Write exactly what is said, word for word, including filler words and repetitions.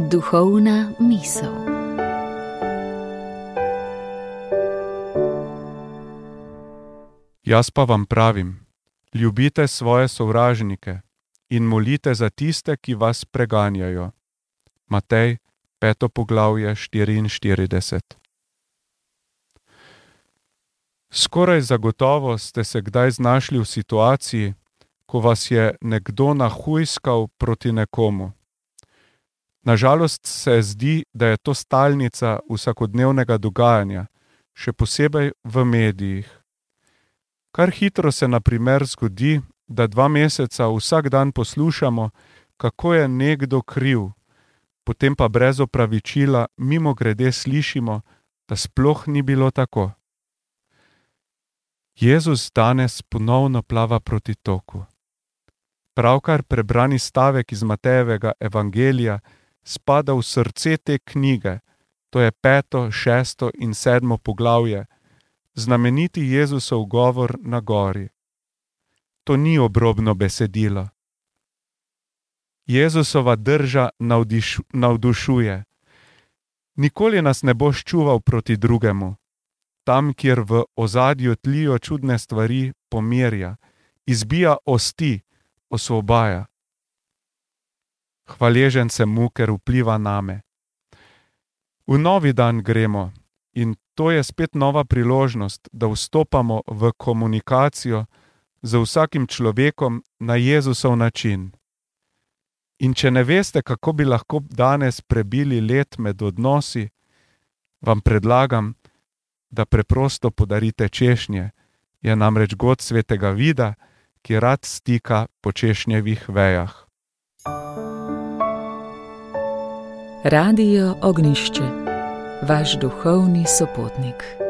Duhovna misel. Jaz pa vam pravim, ljubite svoje sovražnike in molite za tiste, ki vas preganjajo. Matej, peto poglavje, štiriinštirideset. Skoraj zagotovo ste se kdaj znašli v situaciji, ko vas je nekdo nahujskal proti nekomu. Nažalost se zdi, da je to stalnica vsakodnevnega dogajanja, še posebej v medijih. Kar hitro se na primer zgodi, da dva meseca vsak dan poslušamo, kako je nekdo kriv, potem pa brez opravičila mimogrede slišimo, da sploh ni bilo tako. Jezus danes ponovno plava proti toku. Pravkar prebrani stavek iz Matejevega evangelija spada v srce te knjige, to je peto, šesto in sedmo poglavje, znameniti Jezusov govor na gori. To ni obrobno besedilo. Jezusova drža navdiš, navdušuje. Nikoli nas ne bo ščuval proti drugemu. Tam, kjer v ozadju tlijo čudne stvari, pomirja, izbija osti, osvobaja. Hvaležen sem mu, ker vpliva name. V novi dan gremo in to je spet nova priložnost, da vstopamo v komunikacijo z vsakim človekom na Jezusov način. In če ne veste, kako bi lahko danes prebili let med odnosi, vam predlagam, da preprosto podarite češnje, je namreč god svetega Vida, ki rad stika po češnjevih vejah. Radio Ognjišče, vaš duhovni sopotnik.